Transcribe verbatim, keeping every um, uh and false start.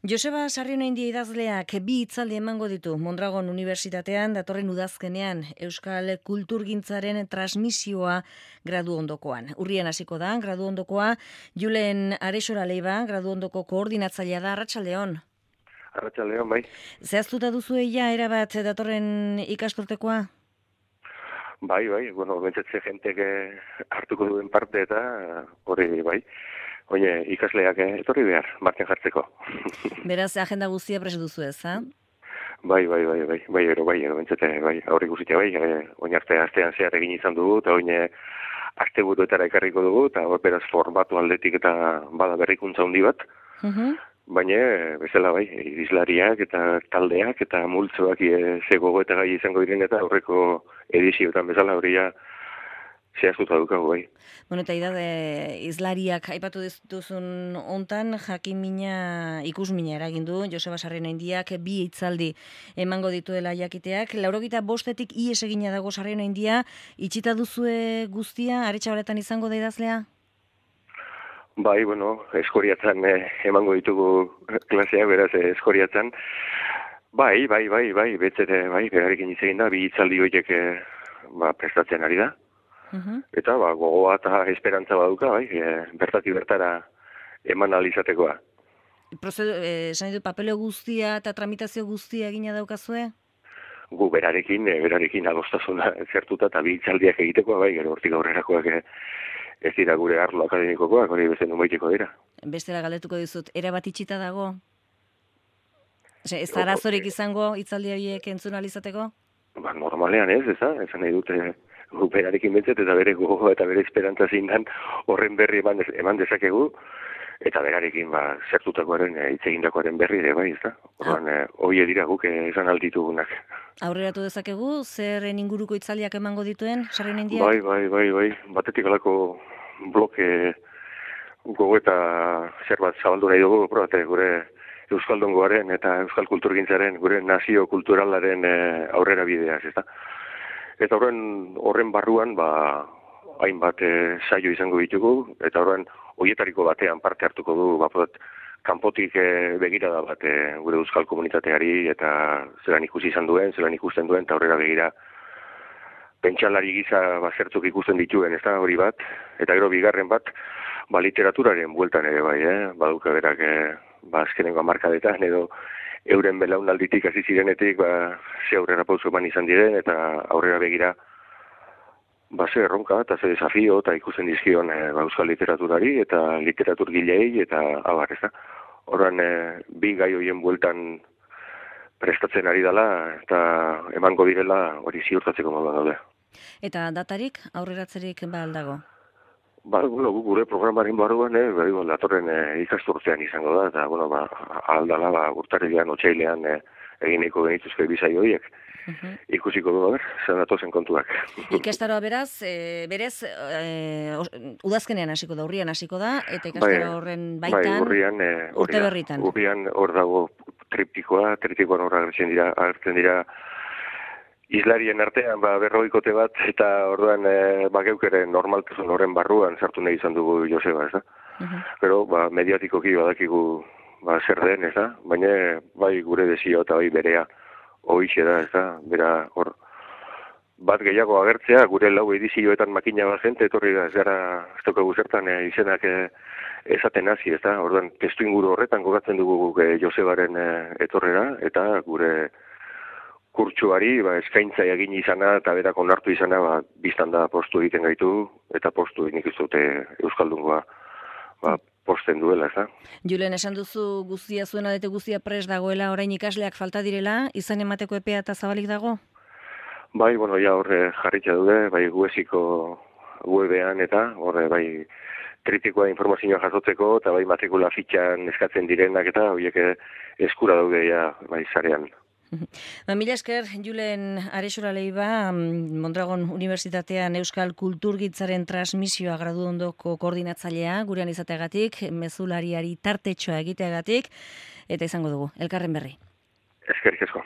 Joseba Sarrionaindia idazleak bi hitzaldi emango ditu Mondragon Unibertsitatean datorren udazkenean Euskal Kulturgintzaren transmisioa gradu ondokoan. Urrian hasiko da, gradu ondokoa, Julen Arexora Leiba, gradu ondoko koordinatzailea da, Arratsaldeon. Arratsaldeon, bai. Zehaztuta duzu ja erabat datorren ikasturtekoa? Bai, bai, bueno, bentsatze jentek hartuko duen parte eta hori bai. Oie, ikasleak etorri behar, martxan jartzeko. Beraz, agenda guztia prest duzu ez, ha? Bai, bai, bai, bai, bai, ero, bai, ero, bentsate, bai, aurrik guztia, bai, oin arte, astean zehar egin izan dugu, eta oin aste buruetara ekarriko dugu, eta beraz formatu aldetik eta bada berrikuntza handi bat, Uh-huh. baina, bezala, bai, izlariak eta taldeak eta multzoak e, ze gogoeta gai izango diren eta aurreko edizioetan bezala hori ja, zehaztuta dukagu, bai. Bueno, eta idade, izlariak aipatu duzun hontan, jakimina, ikusmina eragin du, Joseba Sarrionaindiak bi hitzaldi emango dituela jakiteak. Laurogita bostetik ies egina dago Sarrionaindia, itxita duzue guztia, Aretxabaletan izango da idazlea? Bai, bueno, eskoriatzen eh, emango ditugu klaseak, beraz, eh, eskoriatzen. Bai, bai, bai, bai, betzere, bai, berarekin hitz egin da, bi hitzaldi horiek eh, ba, prestatzen ari da. Uh-huh. Eta ba, gogoa eta esperantza baduka, bai, e, bertati bertara eman alizatekoa. Prozedu, eh, esan ditu, papeleo guztia eta tramitazio guztia egina daukazue? Gu berarekin, e, berarekin adostasuna zertuta eta bi hitzaldiak egitekoa, bai, gero hortik aurrerakoak e, ez dira gure arlo akademikokoak, hori bezen numaiteko dira. Bestela galdetuko dizut, erabat itxita dago? Ose, ez arazorik izango hitzaldi horiek entzun alizateko? Ba, normalean ez, ez da, esan nahi dute gu berarekin bentzet eta bere gogoa eta bere esperantza zindan horren berri eman, dez, eman dezakegu, eta berarekin ba, zertutakoaren, hitz egindakoaren berri ere bai, ez da? Horren, ah. Hoi dira guk esan alditugunak. Aurreratu dezakegu, zer inguruko hitzaldiak emango dituen, Sarrionaindiak? Bai, bai, bai, bai, batetik alako bloke gogoeta zerbait zabaldu nahi dugu, probate gure Euskaldungoaren eta Euskal Kulturgintzaren, gure nazio kulturalaren e, aurrera bideaz, ez da? Eta horren, horren barruan, ba, hainbat e, saio izango ditugu, eta horren, hoietariko batean parte hartuko du, bapodat, kanpotik e, begirada bat e, gure euskal komunitateari, eta zelan ikusi izan duen, zelan ikusten duen, eta horrela begira, pentsalari giza ba, zertzuk ikusten dituen, ez da, hori bat, eta gero bigarren bat, ba, literaturaren bueltan ere bai, eh? Baduka berak, e, ba, azkenengo hamarkadetan, edo, euren belaunalditik hasi zirenetik, ba, ze aurrera pauso eman izan diren, eta aurrera begira, ba, ze erronka, eta ze desafio, eta ikusten dizkion e, ba, euskal literaturari, eta literaturgilei, eta abar, ez da. Horren, e, bi gai horien bueltan prestatzen ari dela, eta emango direla hori ziurtatzeko moduan daude. Eta datarik, aurreratzerik ba aldago? Ba, bueno, gure programaren barruan, eh, bai, datorren eh, ikasturtean izango da, eta, bueno, ba, aldala, ba, urtarrilean, otsailean eh, egineko genituzke bizai horiek. Uh-huh. Ikusiko du, ber, zen datozen kontuak. Ikastaroa beraz, e, berez, e, udazkenean hasiko da, urrian hasiko da, eta ikastaro horren baitan, bai, urrian, e, urte berritan. Urrian hor dago triptikoa, triptikoan horra agertzen dira, agertzen dira, izlarien artean ba, berroikote bat, eta orduan e, ba, geukeren normaltasun horren barruan sartu nahi izan dugu Joseba, ez da? Uh-huh. Pero, ba, mediatikoki badakigu ba, zer den, ez da? Baina, bai gure desio eta bai berea hoixe da, ez da? Bera, hor, bat gehiago agertzea, gure lau edizioetan makina bat jente, etorri da, ez gara, ez tokagu zertan e, izenak e, esaten hasi, ez da? Orduan, testu inguru horretan gogatzen dugu e, Josebaren e, etorrera, eta gure kurtsuari, ba, eskaintza egin izana eta berak onartu izana, ba, biztan da postu egiten gaitu, eta postu nik ez dute Euskaldungoa ba, posten duela, ez da? Julen, esan duzu guztia zuen adete guztia pres dagoela, orain ikasleak falta direla, izan emateko epea eta zabalik dago? Bai, bueno, ja horre jarritza dude, bai gueziko webean eta horre bai kritikoa informazioa jasotzeko, eta bai matrikula fitxan eskatzen direnak eta horiek eskura daude ja, bai zarean. Ba, mila esker, Julen Arexora Leiba, Mondragon Unibertsitatean Euskal Kulturgintzaren transmisioa gradu ondoko koordinatzailea, gurean izateagatik, mezulariari tartetxoa egiteagatik, eta izango dugu, elkarren berri. Eskerrik asko.